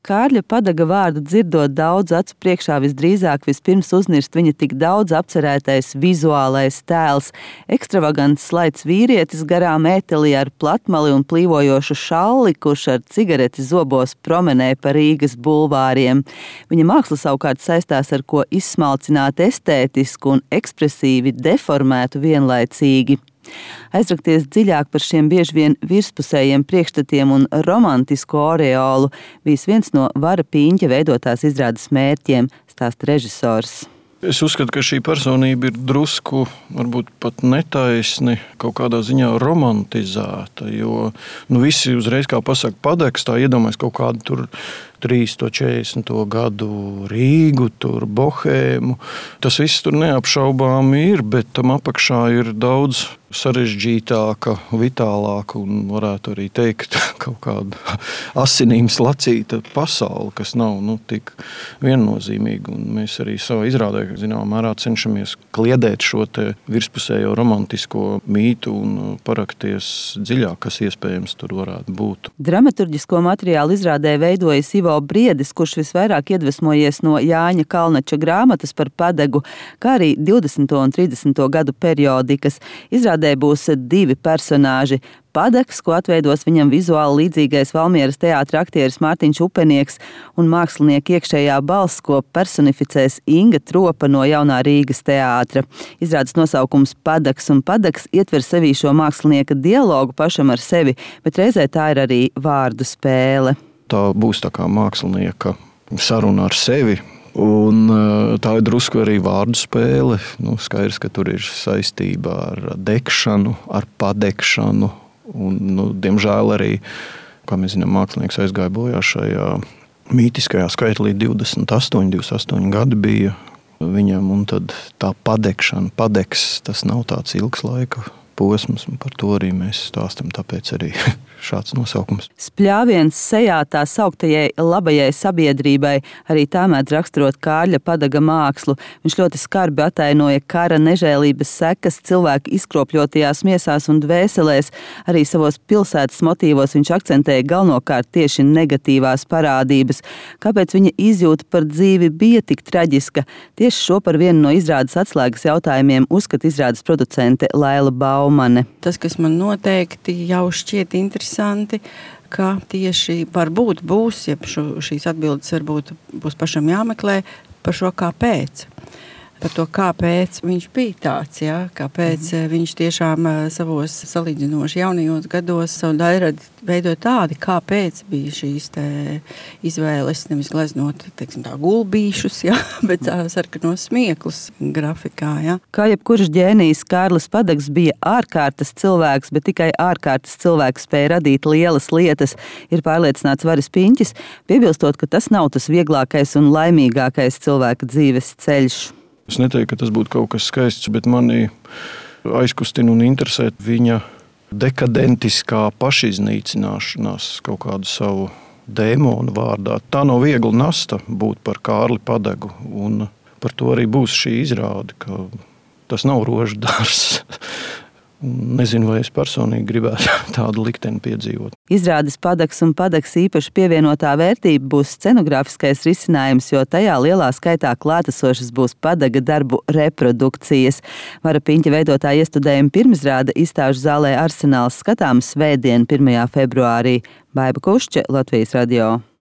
Kārļa Padaga vārdu dzirdot daudz acu priekšā visdrīzāk vispirms uznirst viņa tik daudz apcerētais vizuālais tēls. Ekstravagants slaids vīrietis garām ētelī ar platmali un plīvojošu šalli, kurš ar cigareti zobos promenē pa Rīgas bulvāriem. Viņa māksla savukārt saistās ar ko izsmalcināt estētisku un ekspresīvi deformētu vienlaicīgi. Aizrakties dziļāk par šiem bieži vien virspusējiem priekšstatiem un romantisku oreolu bijis viens no Vara Pīņķa veidotās izrādes mērķiem, stāsta režisors. Es uzskatu, ka šī personība ir drusku, varbūt pat netaisni, kaut kādā ziņā romantizēta, jo visi uzreiz, kā pasaka Padags, tā iedomājas kaut kādu tur 40. gadu Rīgu, tur Bohēmu. Tas viss tur neapšaubāmi ir, bet tam apakšā ir daudz sarežģītāka, vitālāka un varētu arī teikt kaut kāda asinīm slacīta pasaule, kas nav tik viennozīmīga. Un mēs arī savā izrādē, zināmā mērā, cenšamies kliedēt šo te virspusējo romantisko mītu un parakties dziļāk, kas iespējams tur varētu būt. Dramaturģisko materiālu izrādē veidojas Ivo Briedis, kurš visvairāk iedvesmojies no Jāņa Kalnača grāmatas par Padagu, kā arī 20. un 30. gadu periodikas. Izrādē būs 2 personāži. Padags, ko atveidos viņam vizuāli līdzīgais Valmieras teātra aktieris Mārtiņš Upenieks, un mākslinieka iekšējā balss, ko personificēs Inga Tropa no Jaunā Rīgas teātra. Izrādes nosaukums Padags un Padags ietver sevī šo mākslinieka dialogu pašam ar sevi, bet reizē tā ir arī vārdu spēle. Tā būs tā kā mākslinieka saruna ar sevi. Un tā ir drusku arī vārdu spēle. Skaidrs, ka tur ir saistība ar degšanu, ar padegšanu. Un, diemžēl arī, kā mēs zinām, mākslinieks aizgāja bojā šajā mītiskajā skaitlī 28 gadi bija viņam. Un tad tā padegšana, padegs, tas nav tāds ilgs laika posms, un par to arī mēs stāstam, tāpēc arī šāds nosaukums. Spļāviens sejā tā sauktajai labajai sabiedrībai, arī tā mēdz raksturot Kārļa Padaga mākslu. Viņš ļoti skarbi atainoja kara nežēlības sekas cilvēku izkropļotajās miesās un dvēselēs. Arī savos pilsētas motīvos viņš akcentēja galvenokārt tieši negatīvās parādības. Kāpēc viņa izjūta par dzīvi bija tik traģiska? Tieši šo par vienu no izrādes atslēgas jautājumiem uzskata izrādes producente Laila Baumane. Tas, kas man noteikti jau šķiet interesanti, ka tieši varbūt būs, ja šīs atbildes varbūt būs pašam jāmeklē par šo kāpēc. Par to, kāpēc viņš bija tāds, kāpēc viņš tiešām savos salīdzinoši jaunajos gados savu daļradi veidoja tādi, kāpēc bija šīs izvēles, nevis gleznot, gulbīšus, bet sarkanos smieklus grafikā. Kā jebkurš ģēnijs, Kārlis Padags bija ārkārtas cilvēks, bet tikai ārkārtas cilvēks spēja radīt lielas lietas, ir pārliecināts Varis Pīņķis, piebilstot, ka tas nav tas vieglākais un laimīgākais cilvēka dzīves ceļš. Es neteiktu, ka tas būtu kaut kas skaists, bet mani aizkustina un interesē viņa dekadentiskā pašiznīcināšanās kaut kādu savu dēmonu vārdā. Tā nav viegla nasta būt par Kārli Padagu, un par to arī būs šī izrāde, ka tas nav rožu dārzs. Nezinu, vai es personīgi gribētu tādu likteni piedzīvot. Izrādes Padags un Padags īpaši pievienotā vērtība būs scenogrāfiskais risinājums, jo tajā lielā skaitā klātesošas būs Padaga darbu reprodukcijas. Vara Pīņķa veidotā iestudējuma pirmizrāde izstāžu zālē Arsenāls skatāms svētdien 1. februārī. Baiba Kušče, Latvijas radio.